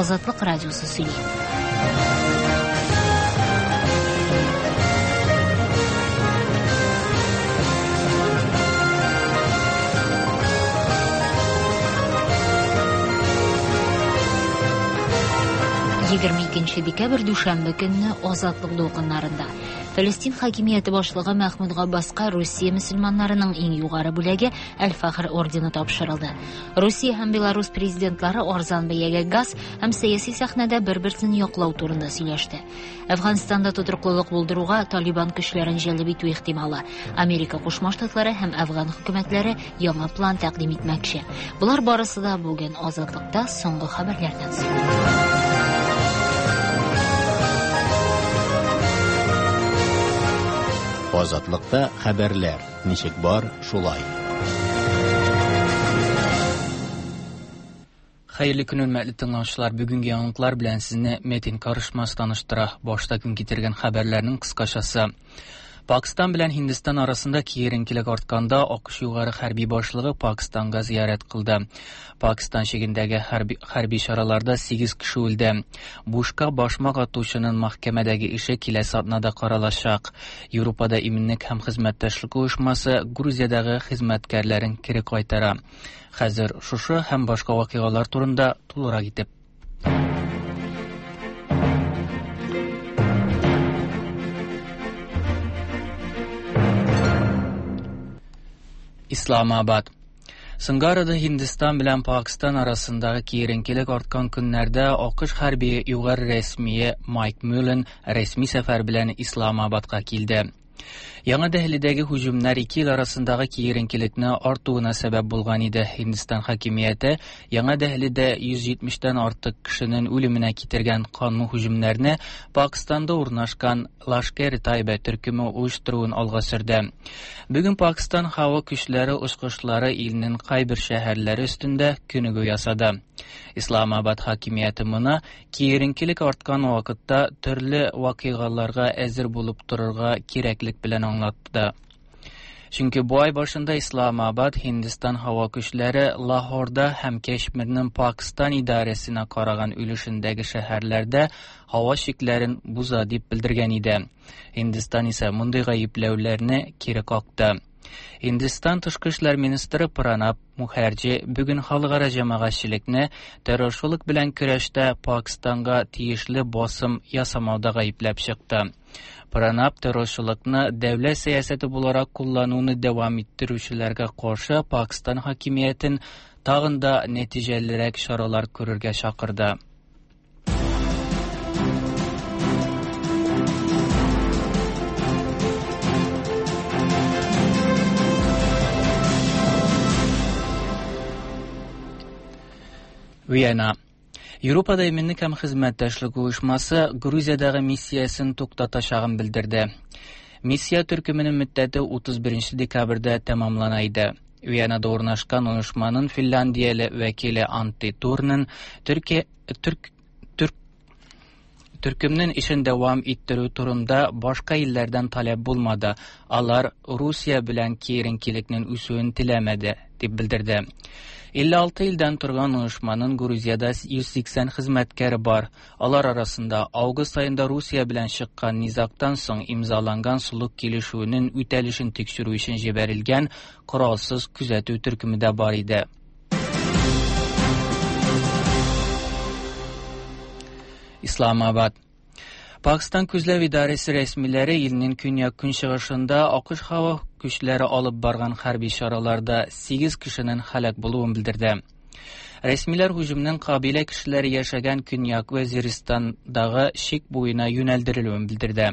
Азатлык радиосы сөйли. 22 декабрь дүшәмбе көнне Азатлык дулкыннарында Фәлестин хакимияте башлыгы Мәхмүд Габбаска Русия мөселманнарының иң югары бүләге Әл-Фахр ордены тапшырылды. Русия һәм Беларус президентлары арзан бәягә газ һәм сәяси сәхнәдә бер-берсен яклау турында сөйләште. Әфганстанда тотрыклылык булдыруга Талибан көчләрен җәлеп итү ихтималы. Америка Кушма Штатлары һәм Әфган хөкүмәтләре яңа план тәкъдим итмәкче. Болар барысы да бүген Азатлыкта соңгы хәбәрләрдән соң. Азатлыкта хәбәрләр ничек бар, шулай. Хәерле көн, хөрмәтле тыңлаучылар. Бүгенге яңалыклар белән сезне Метин Карышмас таныштыра. Башта көн китергән хәбәрләрнең кыскачасы. Пакстан белән Һиндстан арасында киеренкелек артканда, АКШ югары хәрби башлыгы Пакстанга зиярәт кылды. Пакстан чигендәге хәрби, хәрби чараларда 8 кеше үлде. Бушка башмак атучының мәхкәмәдәге эше киләсе атнада каралачак. Европада иминлек һәм хезмәттәшлек оешмасы Грузиядәге хезмәткәрләрен кире кайтара. Хәзер шушы һәм башка вакыйгалар турында тулырак итеп. Исламабад. Соңгы арада Һиндстан белән Пакстан арасындагы киеренкелек арткан көннәрдә АКШ хәрби югары рәсмие Майк Мюллен рәсми сәфәр белән Исламабадка килде. Яңа Дәһлидәге һөҗүмнәр ике ил арасындагы киеренкелекне артуына сәбәп булган иде. Һиндстан хакимияте Яңа Дәһлидә 170-тән артык кешенең үлеменә китергән канлы һөҗүмнәрне Пакстанда урнашкан Лашкер-Тайба төркеме оештыруын алга сөрде. Бүген Пакстан һава көчләре очкычлары илнең кайбер шәһәрләре өстендә күнегү ясады. Исламабад хакимияте моны Киеренкелек арткан вакытта төрле вакыйгаларга әзер булып торырга кирәклек белән аңлатты. Чөнки бу ай башында Исламабад Һиндстан һава көчләре Лахорда һәм Кәшмирнең Пакстан идарәсенә караган өлешендәге шәһәрләрдә һава чикләрен буза дип белдергән иде. Һиндстан исә мондый гаепләүләрне кире какты. Һиндстан тышкы эшләр министры Пранаб Мухәрҗи бүген халыкара җәмәгатьчелекне террорчылык белән көрәштә Пакстанга тиешле басым ясамауда гаепләп чыкты. Пранаб террорчылыкны дәүләт сәясәте буларак куллануны дәвам иттерүчеләргә каршы Пакстан хакимиятен тагын да нәтиҗәлерәк чаралар күрергә чакырды. Вена. Европада иминлек һәм хезмәттәшлек оешмасы Грузиядәге миссиясен туктатачагын белдерде. Миссия төркеменең мөддәте 31 декабрьдә тәмамлана иде. Венада урнашкан оешманың финляндияле вәкиле Анти Турнен Төркия Төрк Төрк Төркемнең эшен дәвам иттерү турында башка илләрдән таләп булмады. Алар Русия белән киеренкелекнең үсүен теләмәде, дип белдерде. 56 илдән торган оешманың Грузиядә 180 хезмәткәре бар. Алар арасында август аенда Русия белән чыккан низагтан соң имзаланган солых килешүенең үтәлешен тикшерү өчен җибәрелгән коралсыз күзәтү төркеме дә бар иде. Исламабад. Пакстан күзләү идарәсе рәсмиләре илнең көньяк-көнчыгышында АКШ һава көчләре алып барган хәрби чараларда 8 кешенең һәлак булуын белдерде. Рәсмиләр һөҗүмнең кабилә кешеләре яшәгән Көньяк Вәзиристандагы чик буена юнәлдерелүен белдерде.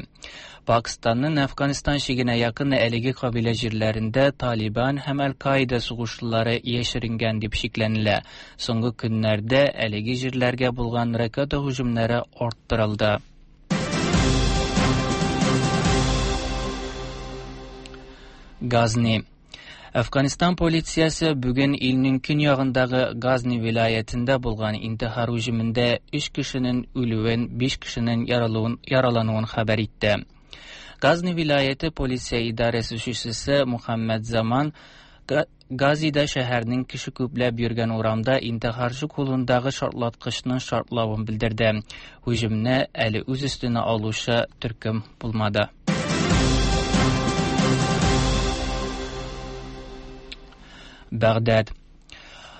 Пакстанның Әфганстан чигенә якын әлеге кабилә җирләрендә Талибан һәм Әл-Каида сугышчылары яшеренгән дип шикләнелә. Соңгы көннәрдә әлеге җирләргә булган ракета һөҗүмнәре арттырылды. Газни. Әфганстан полициясе бүген илнең көньягындагы Газни вилаятендә булган интихар һөҗүмендә 3 кешенең үлүен, 5 кешенең яралануын хәбәр итте. Газни вилаяте полиция идарәсе җитәкчесе Мухаммад Заман Газида шәһәрнең кеше күпләп йөргән урамда интихарчы кулындагы шартлаткычның шартлавын белдерде. Һөҗүмне әле үз өстенә алучы төркем булмады. Бәгъдәд.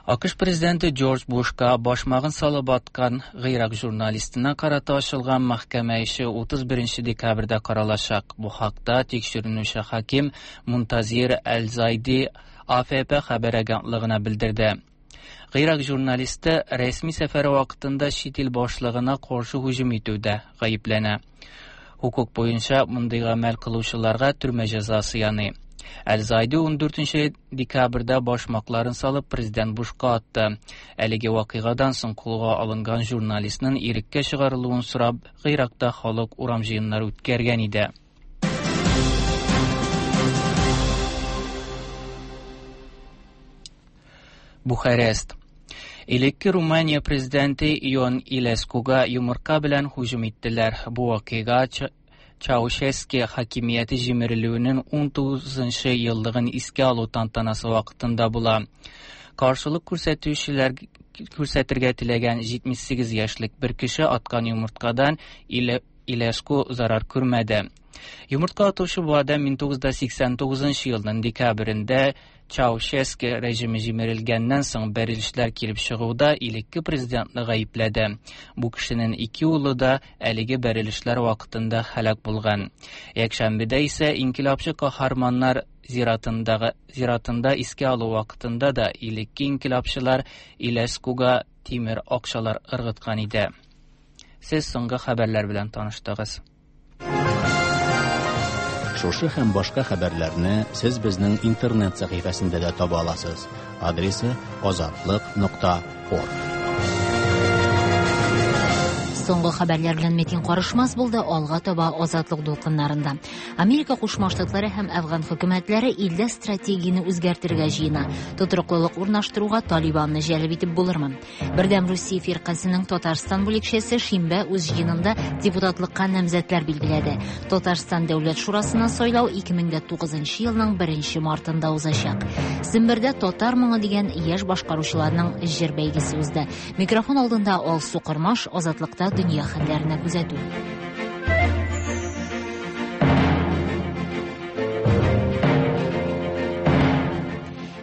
АКШ президенты Джордж Бушка башмагын салып аткан Гыйрак журналистына карата ачылган мәхкәмә эше 31 декабрьдә каралачак. Бу хакта тикшеренүче хаким Мунтазир Әл-Зайди АФП хәбәр агентлыгына белдерде. Гыйрак журналисты рәсми сәфәре вакытында чит ил башлыгына каршы һөҗүм итүдә гаепләнә. Хукук буенча мондый гамәл кылучыларга төрмә җәзасы яный. Әл-Зайди 14 декабрьдә башмакларын салып президент Бушка атты. Әлеге вакыйгадан соң кулга алынган журналистның иреккә чыгарылуын сорап, Гыйракта халык урам җыеннары үткәргән иде. Бухарест. Элекке Румыния президенты Ион Илескуга йомырка белән һөҗүм иттеләр. Бу вакыйга Чаушески хакимияте җимерелүенең 19 еллыгын искә алу тантанасы вакытында була. Каршылык күрсәтүчеләр күрсәтергә теләгән 78 яшьлек бер кеше аткан йомырткадан Илеску зарар күрмәде. Йомыртка атучы бу адәм 1989 елның декабрендә Чаушески режимы җимерелгәннән соң бәрелешләр килеп чыгуда элекке президентны гаепләде. Бу кешенең ике улы да әлеге бәрелешләр вакытында һәлак булган. Якшәмбедә исә инкыйлабчы каһарманнар зиратындагы зиратында искә алу вакытында да элекке инкыйлабчылар Илескуга тимер акчалар ыргыткан иде. Сез соңгы хәбәрләр белән таныштыгыз. Шушы һәм башка хәбәрләрне сез безнең интернет сәхифәсендә дә таба аласыз. Адресы azatliq.org. Соңгы хәбәрләр белән Метин Карышмас булды, алга таба Азатлык дулкыннарында. Америка Кушма Штатлары һәм Әфган хөкүмәтләре илдә стратегияне үзгәртергә җыена. Тотрыклылык урнаштыруга Талибанны җәлеп итеп булырмы? Бердәм Русия фиркасының Татарстан бүлекчәсе шимбә үз җыенында депутатлыкка намзәтләр билгеләде. Татарстан Дәүләт Шурасына сайлау 2009 елның 1 мартында узачак. Сембердә Татар моңы дигән яшь башкаручыларның җыр бәйгесе узды. Микрофон алдында Алсу Кормаш, Азатлыкта дөнья хәлләренә күзәтү.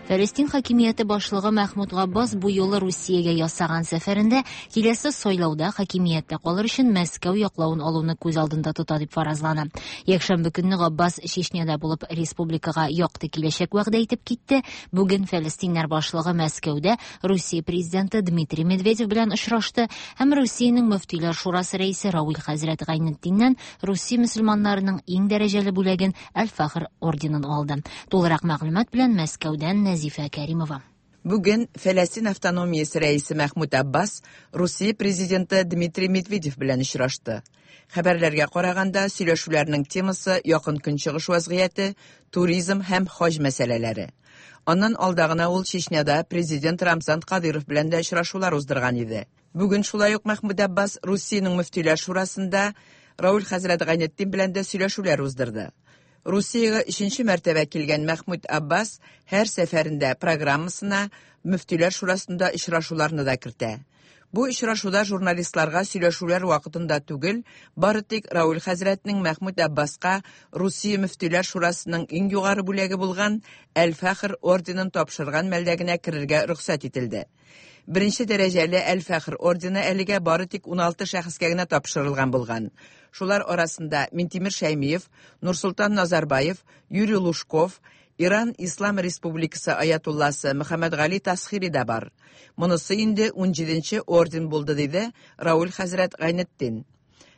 Фәлестин хакимияте башлыгы Мәхмүд Габбас бу юлы Русиягә ясаган сәфәрендә киләсе сайлауда хакимияттә калыр өчен Мәскәү яклавын алуны күз алдында тота дип фаразлана. Якшәмбе көнне Габбас Чечняда булып республикага якты киләчәк вәгъдә итеп китте. Бүген фәлестиннәр башлыгы Мәскәүдә Русия президенты Дмитрий Медведев белән очрашты һәм Русиянең мөфтиләр шурасы рәисе Равил хәзрәт Гайнетдиннән Русия мөселманнарының иң дәрәҗәле бүләген Әл-Фахр орденын алды. Тулырак мәгълүмат белән Мәскәүдән Нәзифә Кәримова. Бүген Фәләстин автономиясе рәисе Мәхмүд Аббас Русия президенты Дмитрий Медведев белән очрашты. Хәбәрләргә караганда, сөйләшүләрнең темасы якын көнчыгыш вазгыяте, туризм һәм хаҗ мәсьәләләре. Аннан алда гына ул Чечняда президент Рамзан Кадыров белән дә очрашулар уздырган иде. Бүген шулай ук Мәхмүд Аббас Русиянең мөфтиләр шурасында Рауль хәзрәт Гайнетдин белән дә сөйләшүләр уздырды. Русиягә өченче мәртәбә килгән Мәхмүд Аббас һәр сәфәрендә программасына мөфтиләр шурасында очрашуларны да кертә. Бу очрашуда журналистларга сөйләшүләр вакытында түгел, бары тик Рауль хәзрәтнең Мәхмүд Аббаска Русия мөфтиләр шурасының иң югары бүләге булган Әл-Фәхр орденын тапшырган мәлдә генә керергә рөхсәт ителде. Беренче дәрәҗәле Әл-Фәхр ордены әлегә бары тик 16 шәхескә генә тапшырылган булган. Шулар арасында Минтимер Шәймиев, Нурсултан Назарбаев, Юрий Лужков, Иран Ислам Республикасы аятулласы Мөхәммәд Гали Тасхири да бар. Монысы инде 17нче орден булды, диде Рауль хәзрәт Гайнетдин.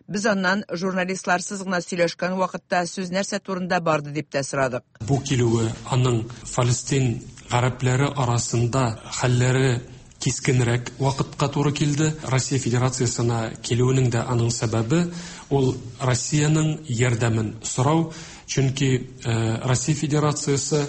Без аннан журналистларсыз гына сөйләшкән вакытта сүз нәрсә турында барды дип тә сорадык. Бу килүе аның Фалестин гарәпләре арасында хәлләре кискенрәк вакытка туры килде. Россия Федерациясына килүенең дә аның сәбәбе ул Россиянең ярдәмен сорау, чөнки Россия Федерациясе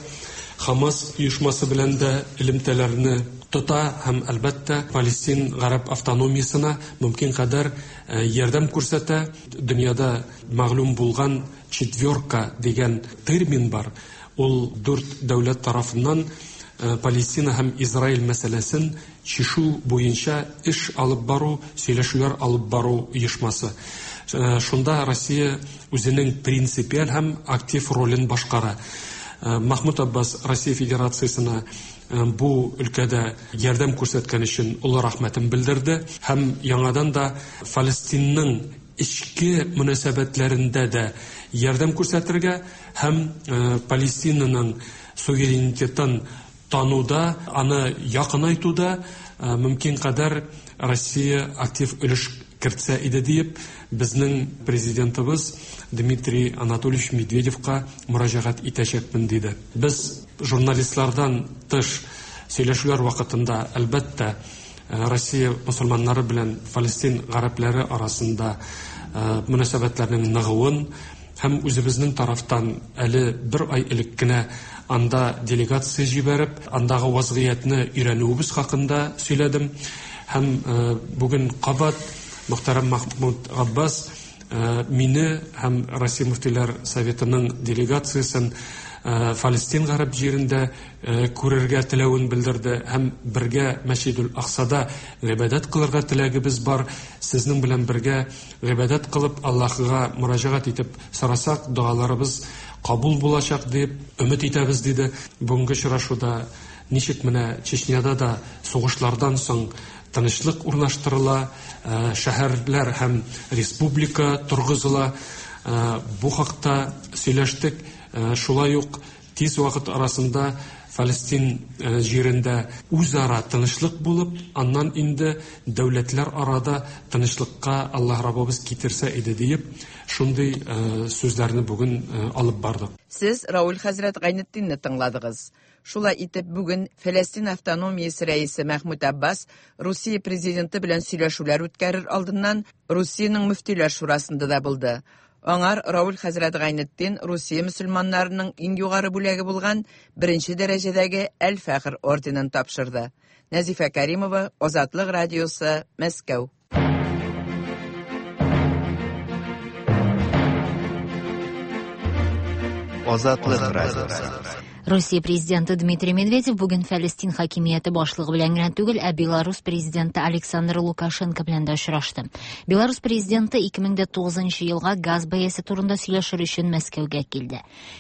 Хамас оешмасы белән дә элемтәләрне тота һәм әлбәттә Палестин гарәп автономиясенә мөмкин кадәр ярдәм күрсәтә. Дөньяда мәгълүм булган четверка дигән термин бар. Ул дүрт дәүләт тарафыннан Палестина һәм Израиль мәсьәләсен чишү буенча эш алып бару, сөйләшүләр алып бару оешмасы. Шунда Россия үзенең принципиаль һәм актив ролен башкара. Махмуд Аббас Россия Федерациясенә бу өлкәдә ярдәм күрсәткән өчен олы рәхмәтен белдерде һәм яңадан да Фалестинның эчке мөнәсәбәтләрендә дә ярдәм күрсәтергә һәм Палестинаның суверенитетын тануда, аны якынайтуда мөмкин кадәр Россия актив өлеш кертсә иде диеп, безнең президентыбыз Дмитрий Анатольевич Медведевка мөрәҗәгать итәчәкмен диде. Без журналистлардан тыш сөйләшүләр вакытында, әлбәттә, Россия мусульманнары белән Фалестин гарәпләре арасында мөнәсәбәтләрнең ныгуын һәм үзебезнең тарафтан әле бер ай элек кенә анда делегация җибәреп, андагы вазгыятьне өйрәнүебез хакында сөйләдем. Һәм бүген кабат мөхтәрәм Махмуд Аббас мине һәм Россия мөфтиләр советының делегациясен Фалестин гарәп җирендә күрергә теләвен белдерде һәм бергә Мәсҗидул Аксада гыйбадәт кылырга теләгебез бар. Сезнең белән бергә гыйбадәт кылып Аллаһыга мөрәҗәгать итеп сорасак, догаларыбыз кабул булачак дип өмет итәбез диде. Бүгенге очрашуда ничек менә Чечняда да сугышлардан соң тынычлык урнаштырыла, шәһәрләр һәм республика торгызыла, бу хакта сөйләштек. Шулай ук тиз вакыт арасында Фалестин җирендә үзара тынычлык булып, аннан инде дәүләтләр арада тынычлыкка Аллаһ Раббыбыз китерсә иде диеп, шундый сүзләрне бүген алып бардык. Сез Рауль хәзрәт Гайнетдинне тыңладыгыз. Шулай итеп, бүген Фәләстин автономиясе рәисе Мәхмүд Аббас Русия президенты белән сөйләшүләр үткәрер алдыннан Русиянең мөфтиләр шурасында да булды. Аңар Рауль хәзрәт Гайнетдин Русия мөселманнарының иң югары бүләге булган беренче дәрәҗәдәге Әл-Фәхр орденын тапшырды. Нәзифә Каримова, Азатлык радиосы, Мәскәү. Азатлык радиосы. Русия президенты Дмитрий Медведев бүген Фәлестин хакимияте башлыгы белән генә түгел, ә Беларус президенты Александр Лукашенко белән дә очрашты. Беларус президенты 2009 елга газ бәясе турында сөйләшер өчен Мәскәүгә килде.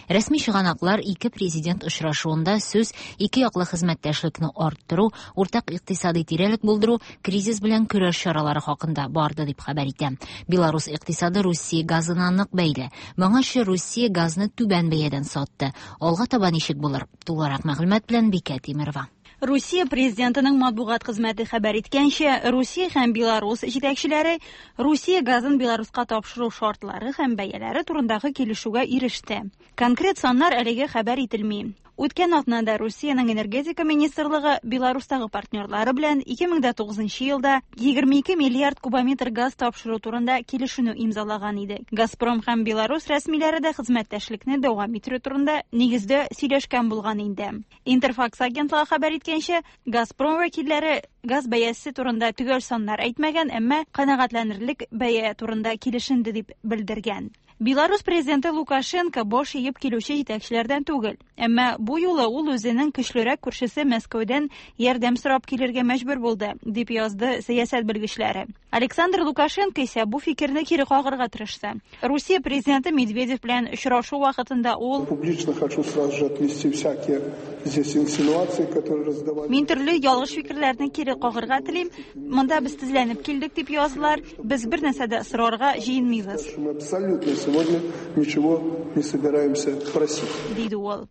Рәсми чыганаклар ике президент очрашуында сүз ике яклы хезмәттәшлекне арттыру, уртак икътисади тирәлек булдыру, кризис белән көрәш чаралары хакында барды дип хәбәр итә. Беларус икътисады Русия газына нык бәйле. Моңарчы Русия газны түбән бәядән сатты. Алга таба ничек булыр? Тулырак мәгълүмат белән Бикә Тимирова. Русия президентының матбугат хезмәте хәбәр иткәнчә, Русия һәм Беларус җитәкчеләре Русия газын Беларуска тапшыру шартлары һәм бәяләре турындагы килешүгә иреште. Конкрет саннар әлегә хәбәр ителми. Үткән атнада Русиянең энергетика министрлыгы Беларустагы партнерлары белән 2009 елда 22 миллиард кубометр газ тапшыру турында килешүне имзалаган иде. Газпром һәм Беларус рәсмиләре дә хезмәттәшлекне дәвам итү турында нигездә сөйләшкән булган инде. Интерфакс агентлыгы хәбәр иткәнчә, Газпром вәкилләре газ бәясе турында төгәл саннар әйтмәгән, әмма канәгатьләнерлек бәя турында килешенде дип белдергән. Беларус президенты Лукашенко баш иеп килүче җитәкчеләрдән түгел. Әмма бу юлы ул үзенең көчлерәк күршесе Мәскәүдән ярдәм сорап килергә мәҗбүр булды, дип язды сәясәт белгечләре. Александр Лукашенко исә бу фикерне кире кагарга тырышты. Русия президенты Медведев белән очрашу вакытында ул: Публично хочу сразу же отмести всякие здесь инсинуации, которые раздавали. Мин төрле ялгыш фикерләрне кире кагарга телим. Монда без тезләнеп килдек дип яздылар. Без бер нәрсә дә сорарга җыенмыйбыз. Мы абсолютно сегодня ничего не собираемся просить. Диде ул.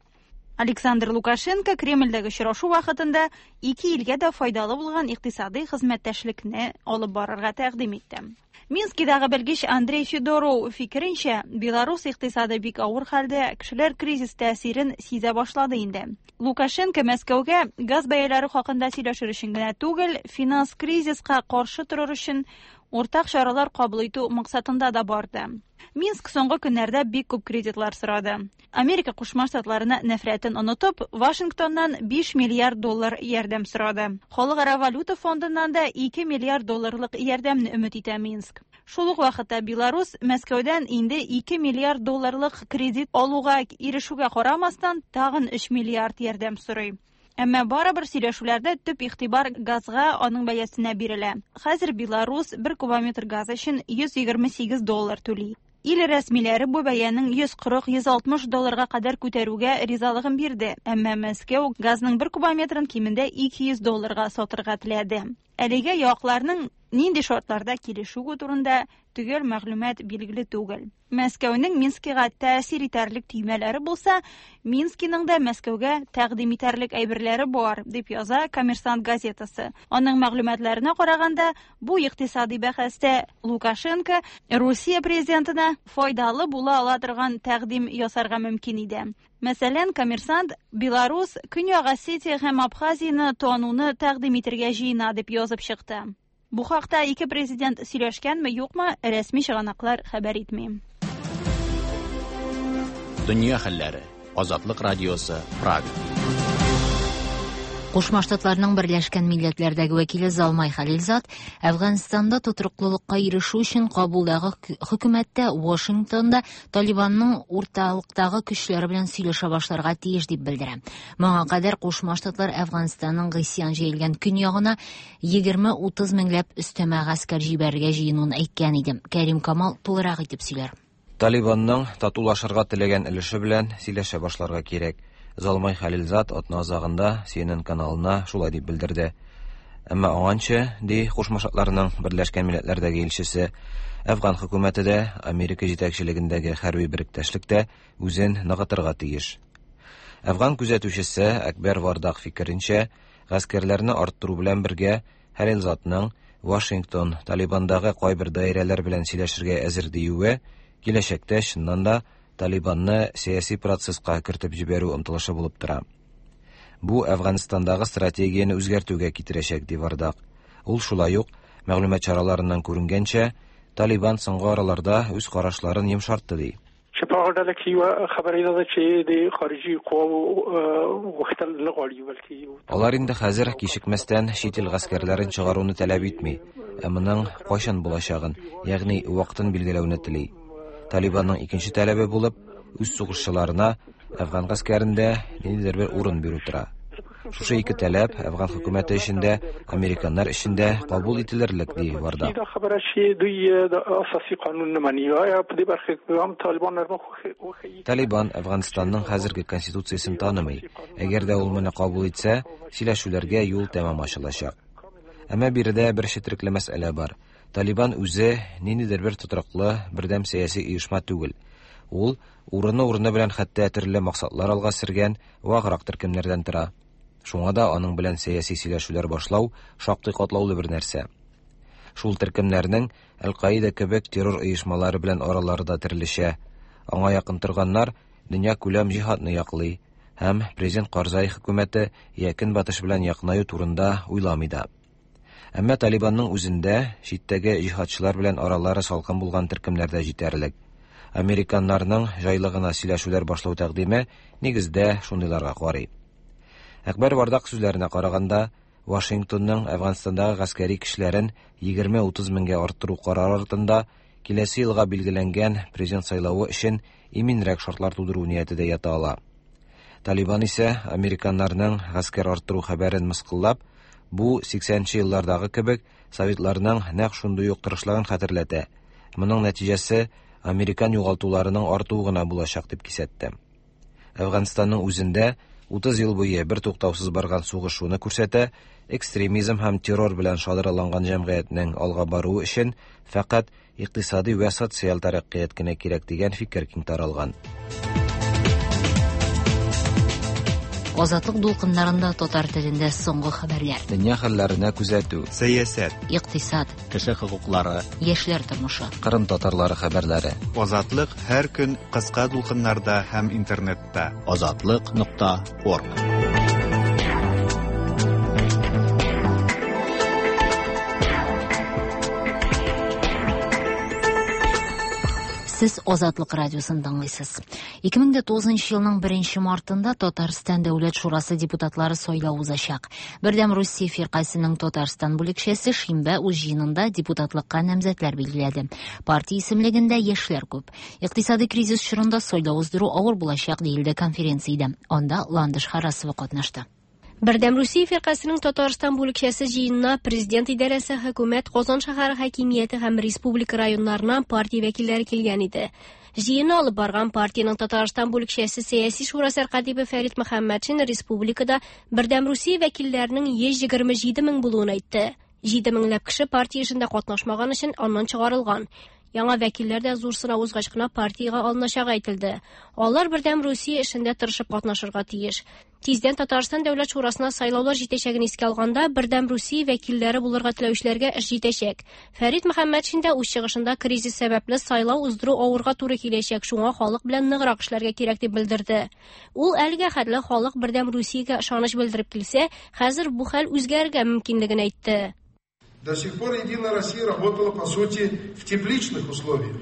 Александр Лукашенко Кремльдәге очрашу вакытында ике илгә дә файдалы булган икътисади хезмәттәшлекне алып барырга тәкъдим итте. Минскидагы белгеч Андрей Федоров фикеренчә, Беларус икътисады бик авыр хәлдә, кешеләр кризис тәэсирен сизә башлады инде. Лукашенко Мәскәүгә газ бәяләре хакында сөйләшер өчен генә түгел, финанс кризиска каршы торыр өчен уртак чаралар кабул итү максатында да барды. Минск соңгы көннәрдә бик күп кредитлар сорады. Америка Кушма Штатларына нәфрәтен онытып, Вашингтоннан 5 миллиард доллар ярдәм сорады. Халыкара валюта фондыннан да 2 миллиард долларлык ярдәмне өмет итә Минск. Шул ук вакытта Беларус Мәскәүдән инде 2 миллиард долларлык кредит алуга ирешүгә карамастан, тагын 3 миллиард ярдәм сорый. Әмма барыбер сөйләшүләрдә төп игътибар газга, аның бәясенә бирелә. Хәзер Беларус бер кубометр газ өчен 128 доллар түли. Ил рәсмиләре бу бәянең 140-160 долларга кадәр күтәрүгә ризалыгын бирде, әмма Мәскәү газның бер кубометрын кимендә 200 долларга сатырга теләде. Әлегә якларның нинди шартларда килешүе турында төгәл мәгълүмат билгеле түгел. Мәскәүнең Минскига тәэсир итәрлек төймәләре булса, Минскиның да Мәскәүгә тәкъдим итәрлек әйберләре бар, дип яза Коммерсант газетасы. Аның мәгълүматларына караганда, бу икътисади бәхәстә Лукашенко Русия президентына файдалы була ала торган тәкъдим ясарга мөмкин иде. Мәсәлән, Коммерсант Беларус Көньяк Осетия һәм Абхазияне тануны тәкъдим итергә җыена дип язып чыкты. Бу хакта ике президент сөйләшкәнме, юкмы, рәсми чыганаклар хәбәр итми. Дөнья хәлләре. Азатлык радиосы, Прага. Кушма Штатларның Берләшкән Милләтләрдәге вәкиле Залмай Халилзад Әфганстанда тотрыклылыкка ирешү өчен Кабулдагы хөкүмәттә Вашингтонда Талибанның урталыктагы көчләре белән сөйләшә башларга тиеш дип белдерә. Моңа кадәр Кушма Штатлар Әфганстанның гыйсьян җәелгән көньягына 20-30 меңләп өстәмә гаскәр җибәрергә җыенуын әйткән иде. Кәрим Камал тулырак итеп сөйләр. Талибанның татулашырга теләгән өлеше белән сөйләшә башларга кирәк. Залмай Хәлилзад атна азагында CNN каналына шулай дип белдерде. Әмма аңанчы, ди Кушма Штатларның Берләшкән Милләтләрдәге илчесе, Әфган хөкүмәте дә, Америка җитәкчелегендәге хәрби беректәшлек тә үзен ныгытырга тиеш. Әфган күзәтүчесе Әкбәр Вардак фикеренчә, гаскәрләрне арттыру белән бергә Хәлилзадның Вашингтон Талибандагы кайбер даирәләр белән сөйләшергә әзер диюе киләчәктә чыннан да Талибанны сәяси процесска кертеп җибәрү омтылышы булып тора. Бу Әфганстандагы стратегияне үзгәртүгә китерәчәк, ди Вардак. Ул шулай ук, мәгълүмат чараларыннан күренгәнчә, Талибан соңгы араларда үз карашларын йомшартты, ди. چې په هغه ډله کې یوه خبره دا ده چې د خارجي قواو غوښتل نه غواړي بلکې Алар инде хәзер кичекмәстән чит ил гаскәрләрен чыгаруны таләп итми, ә моның кайчан булачагын, ягъни вакытын билгеләүне тели. Талибанның икенче таләбе булып, үз сугышчыларына әфган гаскәрендә ниндидер бер урын бирү тора. Шушы ике таләп әфган хөкүмәте өчен дә, американнар өчен дә кабул ителерлек, ди Вардак. دا خبره چې دوی د اساسي قانون نه مني آیا په دې برخه کې هم طالبان نرمه وښيي Талибан Әфганстанның хәзерге конституциясен танымый. Әгәр дә ул моны кабул итсә, сөйләшүләргә юл тәмам ачылачак. Әмма биредә бер четерекле мәсьәлә бар. Талибан үзе ниндидер бер тотрыклы, бердәм сәяси оешма түгел. Ул урыны-урыны белән хәтта төрле максатлар алга сөргән ваграк төркемнәрдән тора. Шуңа да аның белән сәяси сөйләшүләр башлау шактый катлаулы бер нәрсә. Шул төркемнәрнең Әл-Каида кебек террор оешмалары белән аралары да төрлечә. Аңа якын торганнар дөнья күләм җиһадны яклый һәм президент Карзай хөкүмәте я Көнбатыш белән якынаю турында уйламый да. Әмма Талибанның үзендә читтәге җиһадчылар белән аралары салкын булган төркемнәр дә җитәрлек. Американнарның җайлы гына сөйләшүләр башлау тәкъдиме нигездә шундыйларга карый. Әкбәр Вардак сүзләренә караганда, Вашингтонның Әфганстандагы гаскәри көчләрен 20-30 меңгә арттыру карары артында киләсе елга билгеләнгән президент сайлавы өчен иминрәк шартлар тудыру нияте дә ята ала. Талибан исә американнарның гаскәр арттыру хәбәрен мыскыллап, бу 80нче еллардагы кебек советларның нәкъ шундый ук тырышлыгын хәтерләтә. Моның нәтиҗәсе американ югалтуларының артуы гына булачак дип кисәтте. Әфганстанның үзендә 30 ел буе бер туктаусыз барган сугыш шуны күрсәтә, экстремизм һәм террор белән шадраланган җәмгыятьнең алга баруы өчен фәкать икътисади вә социаль тәрәккыят кенә кирәк дигән фикер киң таралган. Азатлык дулкыннарында татар телендә соңгы хәбәрләр. Дөнья хәлләренә күзәтү, Сәясәт, Икътисад, Кеше хокуклары, яшьләр тормышы. Кырым татарлары хәбәрләре. Азатлык һәр көн кыска дулкыннарда һәм интернетта. Азатлык.орг. Сез Азатлык радиосын тыңлыйсыз. 2009 елның 1 мартында Татарстан Дәүләт Шурасы депутатлары сайлау узачак. Бердәм Русия фиркасының Татарстан бүлекчәсе шимбә үз җыенында депутатлыкка намзәтләр билгеләде. Партия исемлегендә яшьләр күп. Икътисади кризис чорында сайлау уздыру авыр булачак диелде конференциядә. Анда Ландыш Харасова катнашты. Бердәм Русия фиркасының Татарстан бүлекчәсе җыенына президент идарәсе, хөкүмәт, Казан шәһәре хакимияте һәм республика районнарыннан партия вәкилләре килгән иде. Җыенны алып барган партиянең Татарстан бүлекчәсе сәяси шура сәркатибе Фәрит Мөхәммәтшин республикада Бердәм Русия вәкилләренең 127 мең булуын әйтте. 7 меңләп кеше партия эшендә катнашмаган өчен аннан чыгарылган. Яңа вәкилләр дә зур сынау узгач кына партиягә алыначагы әйтелде. Алар Бердәм Русия эшендә тырышып катнашырга тиеш. Тиздән Татарстан Дәүләт Шурасына сайлаулар җитәчәген искә алганда, Бердәм Русия вәкилләре булырга теләүчеләргә эш җитәчәк. Фәрит Мөхәммәтшин дә үз чыгышында кризис сәбәпле сайлау уздыру авырга туры киләчәк, шуңа халык белән ныграк эшләргә кирәк дип белдерде. Ул әлегә хәтле халык Бердәм Русиягә ышаныч белдереп килсә, хәзер бу хәл үзгәрергә мөмкинлеген әйтте. До сих пор Единая Россия работала, по сути, в тепличных условиях.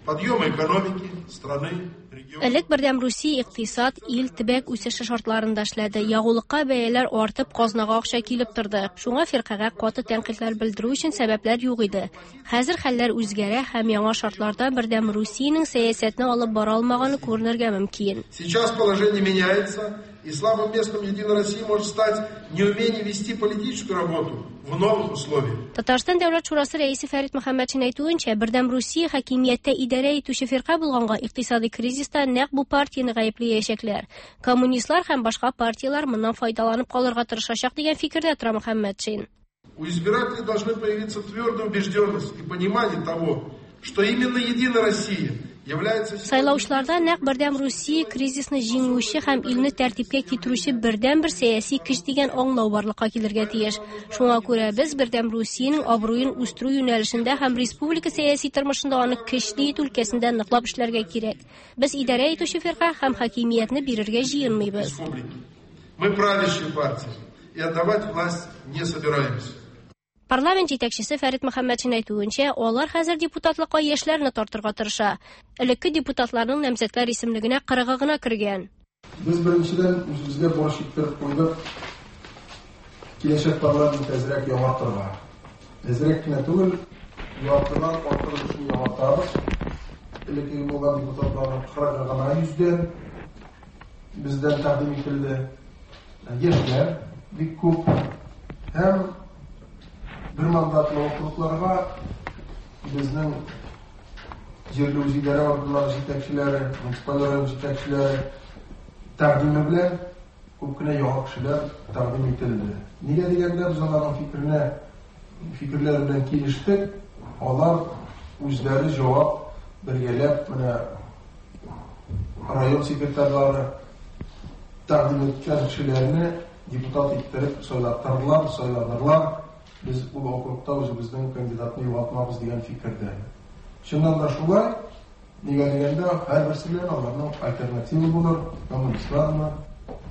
Подъема экономики, страны, региона. Элек Бердәм Русия икътисад, ил, төбәк үсеше шартларында эшләде. Ягулыкка бәяләр артып, казнага акча килеп торды. Шуңа фиркагә каты тәнкыйтьләр белдерү өчен сәбәпләр юк иде. Хәзер хәлләр үзгәрә һәм яңа шартларда Бердәм Русиянең сәясәтне алып бара алмаганы күренергә мөмкин. Сейчас положение меняется, и слабым местом Единой России может стать неумение вести политическую работу в новых условиях. Татарстан Дәүләт Шурасы рәисе Фәрит Мөхәммәтшин әйтүенчә, Бердәм Русия хакимияттә идарә итүче фирка булганга, икътисади кризиста нәкъ бу партияне гаепләячәкләр. Коммунистлар һәм башка партияләр моннан файдаланып калырга тырышачак дигән фикердә тора Мөхәммәтшин. У избирателей должны появиться твердая убежденность и понимание того, что именно Единая Россия является... Сайлаучыларда нәкъ Бердәм Русия кризисны җиңүче һәм илне тәртипкә китерүче бердәнбер сәяси көч дигән аңлау барлыкка килергә тиеш. Шуңа күрә без Бердәм Русиянең абруен үстерү юнәлешендә һәм республика сәяси тормышында аны көчле итү өлкәсендә ныклап эшләргә кирәк. Без идарә итүче фирка һәм хакимиятне бирергә җыенмыйбыз. Мы правящая партия и отдавать власть не собираемся. Парламент җитәкчесе Фәрит Мөхәммәтшин әйтүенчә, алар хәзер депутатлыкка яшьләрне тартырга тырыша. Элекке депутатларның намзәтләр исемлегенә 40-ы гына кергән. Без беренчедән үзебезгә бурыч иттереп куйдык киләчәк парламент әзрәк яңартырга. Әзрәк кенә түгел, яртыдан артык өлешен яңартабыз. Элеккеге булган депутатларның 40-ы гына йөздән бездән тәкъдим ителде. Яшьләр бик күп һәм бер мандатлы округларга безнең җирле үзидарә органнары җитәкчеләре, муниципаль район җитәкчеләре тәкъдиме белән күп кенә яңа кешеләр тәкъдим ителде. Нигә дигәндә, без аларның фикеренә, фикерләре белән килештек. Алар үзләре җавап бергәләп менә район секретарьлары тәкъдим иткән кешеләрне депутат иттереп сайлаттырдылар, сайландылар. Без ул округта үзебезнең кандидатны югалтмабыз дигән фикердә. Чыннан да шулай, нигә дигәндә, һәрберсе белән аларның альтернатива булыр, коммунистлармы,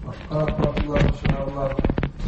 башка партияләрне чыгарырлар.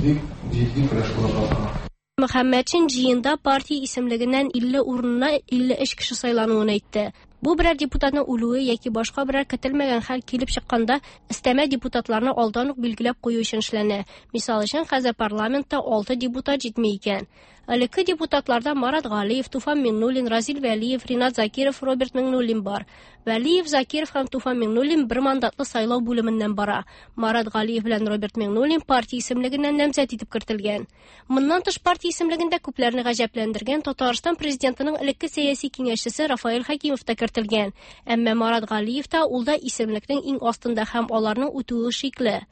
Бик җитди көрәш булырга тора. Мөхәммәтшин җыенда партия исемлегеннән 50 урынына 53 кеше сайлануын әйтте. Бу берәр депутатның үлүе яки башка берәр көтелмәгән хәл килеп чыкканда өстәмә депутатларны алдан ук билгеләп кую өчен эшләнә. Мисал өчен, хәзер парламентта 6 депутат җитми икән. Элекке депутатларда Марат Галиев, Туфан Миңнуллин, Разил Вәлиев, Ринат Закиров, Роберт Миңнуллин бар. Вәлиев, Закиров һәм Туфан Миңнуллин бер мандатлы сайлау бүлеменнән бара. Марат Галиев белән Роберт Миңнуллин партия исемлегеннән намзәт итеп кертелгән. Моннан тыш партия исемлегендә күпләрне гаҗәпләндергән Татарстан президентының элекке сәяси киңәшчесе Рафаэль Хәкимов та кертелгән. Әмма Марат Галиев та ул да исемлекнең иң астында һәм аларның үтүе шикле.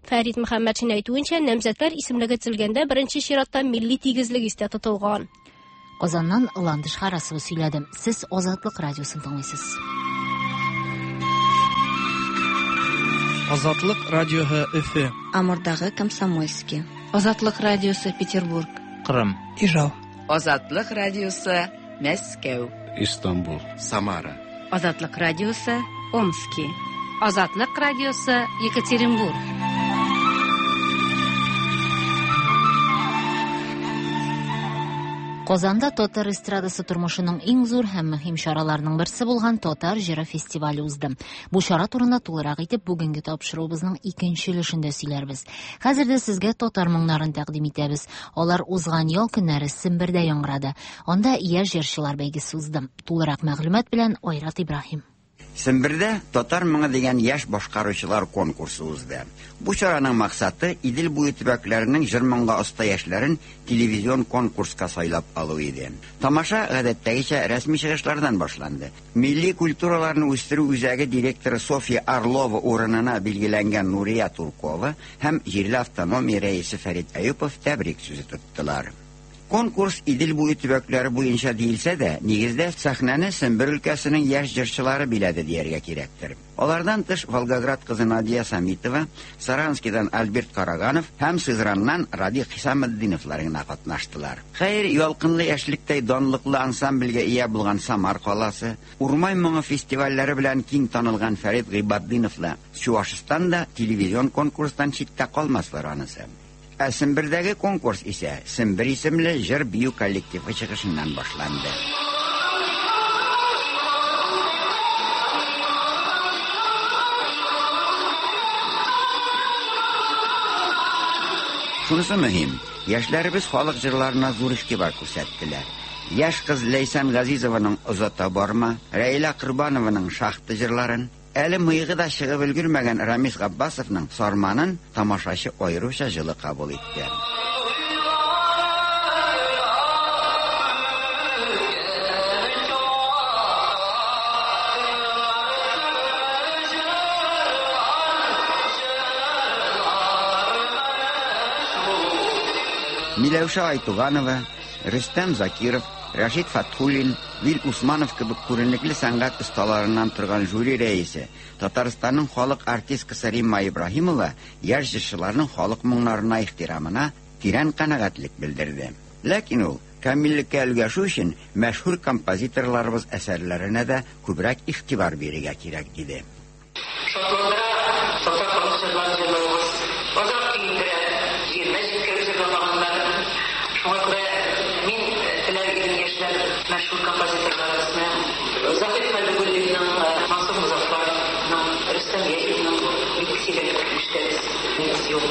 Фәрит Мөхәммәтшин әйтүенчә, намзәтләр исемлеге төзелгәндә беренче чиратта милли тигезлек истә тотылган. Казаннан Ландыш Харасова сөйләде. Сез Азатлык радиосын тыңлыйсыз. Азатлык радиоһы Өфе. Амурдагы Комсомольский. Азатлык радиосы Петербург. Кырым. Ижау. Азатлык радиосы Мәскәү. Истанбул. Самара. Азатлык радиосы Омски. Азатлык радиосы Екатеринбург. Казанда татар эстрадасы тормышының иң зур һәм мөһим чараларының берсе булган Татар җыры фестивале узды. Бу чара турында тулырак итеп бүгенге тапшыруыбызның икенче өлешендә сөйләрбез. Хәзер дә сезгә татар моңнарын тәкъдим итәбез. Алар узган ял көннәре Сембердә яңгырады. Анда яшь җырчылар бәйгесе узды. Тулырак мәгълүмат белән Айрат Ибраһим. Сембердә Татар моңы дигән яшь башкаручылар конкурсы узды. Бу чараның максаты Идел буе төбәкләренең җыр-моңга оста яшьләрен телевизион конкурска сайлап алу иде. Тамаша, гадәттәгечә, рәсми чыгышлардан башланды. Милли культураларны үстерү үзәге директоры Софья Орлова урынына билгеләнгән Нурия Туркова һәм җирле автономия рәисе Фәрит Әюпов тәбрик сүзе тоттылар. Конкурс Идел буе төбәкләре буенча диелсә дә, нигездә сәхнәне Сембер өлкәсенең яшь җырчылары биләде дияргә кирәктер. Алардан тыш Волгоград кызы Надия Самитова, Саранскидан Альберт Караганов һәм Сызраннан Радик Хисаметдиновлар гына катнаштылар. Хәер, Ялкынлы яшьлектәй данлыклы ансамбльгә ия булган Самар каласы, Урмай моңы фестивальләре белән киң танылган Фәрит Гыйбатдиновлы Чуашстан да телевизион конкурстан читтә калмаслар анысы. Ә Сембердәге конкурс исә Сембер исемле җыр-бию коллективы чыгышыннан башланды. Шунысы мөһим, яшьләребез халык җырларына зур игътибар күрсәттеләр. Яшь кыз Ләйсән Газизованың Озата барма, Рәйлә Корбанованың Шахта җырларын, Әле мыегы да чыгып өлгермәгән Рамис Габбасовның Сарманын тамашачы аеруча җылы кабул итте. Миләүшә Айтуганова, Рөстәм Закиров, Рәшит Фәтхуллин, Вил Усманов кебек күренекле сәнгать осталарыннан торган жюри рәисе, Татарстанның халык артисткасы Римма Ибраһимова яшь җырчыларның халык моңнарына ихтирамына тирән канәгатьлек белдерде. Ләкин ул, камиллеккә өлгәшү өчен, мәшһүр композиторларыбыз әсәрләренә дә күбрәк игътибар бирергә кирәк, диде. Шатландыра татар халык җырларын җырлавыгыз. Азрак көендерә, җиренә җиткереп җырламаганнар. Шуңа күрә мин теләр идем яшьләр мәшһүр композиторларыбызны, Заһид Хәбибуллинның, Мансур Мозаффаровның, Рөстәм Яхинның бик сирәк ишетәбез, нигез юк.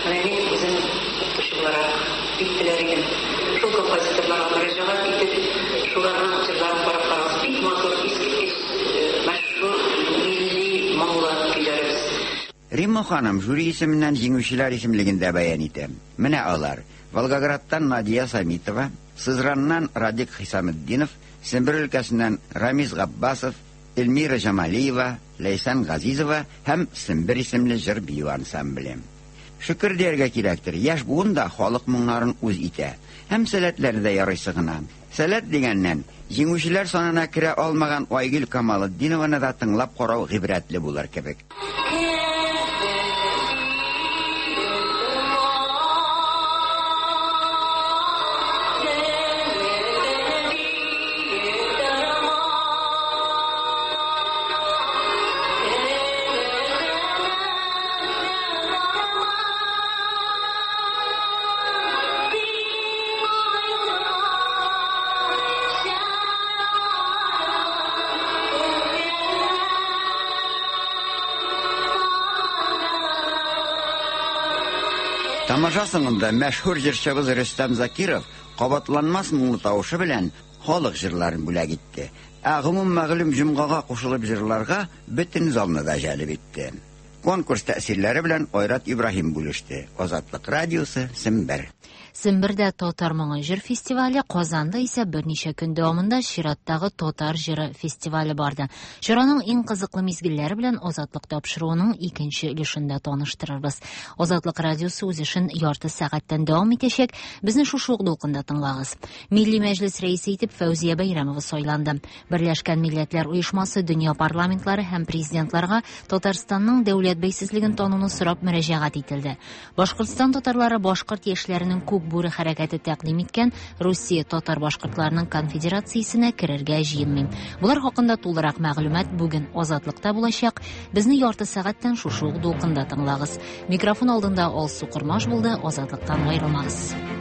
Менә мин үзем укытучы буларак бик теләр идем шул композиторларга мөрәҗәгать итеп, шуларның җырларын карап карагыз, бик матур, искиткеч. Мәшһүр милли моңлы көйләребез. Римма ханым жюри исеменнән җиңүчеләр исемлеген дә бәян итә. Менә алар, Волгоградтан Надия Самитова, Сызраннан Радик Хисаметдинов, Сембер өлкәсеннән Рамис Габбасов, Эльмира Җамалиева, Ләйсән Газизова һәм Сембер исемле җыр-бию ансамбле. Шөкер дияргә кирәктер, яшь буын да халык моңнарын үз итә. Һәм сәләтләре дә ярыйсы гына. Сәләт дигәннән, җиңүчеләр санына керә алмаган Айгөл Камалетдинованы да тыңлап карау гыйбрәтле булыр кебек. Тамаша соңында мәшһүр җырчыбыз Рөстәм Закиров кабатланмас моңлы тавышы белән халык җырларын бүләк итте. Ә гомум мәгълүм җомгага кушылып җырларга бөтен залны да җәлеп итте. Конкурс тәэсирләре белән Айрат Ибраһим бүлеште. Азатлык радиосы, Сембер. Сембердә Татар моңы җыр фестивале, Казанда исә берничә көн дәвамында чираттагы Татар җыры фестивале барды. Чараның иң кызыклы мизгелләре белән Азатлык тапшыруының икенче өлешендә таныштырырбыз. Азатлык радиосы үз эшен ярты сәгатьтән дәвам итәчәк. Безне шушы ук дулкында тыңлагыз. Милли Мәҗлес рәисе итеп Фәүзия Бәйрәмова сайланды. Берләшкән Милләтләр Оешмасы дөнья парламентлары һәм президентларга Татарстанның дәүләт бәйсезлеген тануны сорап мөрәҗәгать ителде. Башкортстан татарлары башкорт яшьләренең Күк бүре хәрәкәте тәкъдим иткән Русия татар-башкортларының конфедерациясенә керергә җыенмый. Болар хакында тулырак мәгълүмат бүген Азатлыкта булачак. Безне ярты сәгатьтән шушы ук дулкында тыңлагыз. Микрофон алдында Алсу Кормаш булды. Азатлыктан аерылмагыз.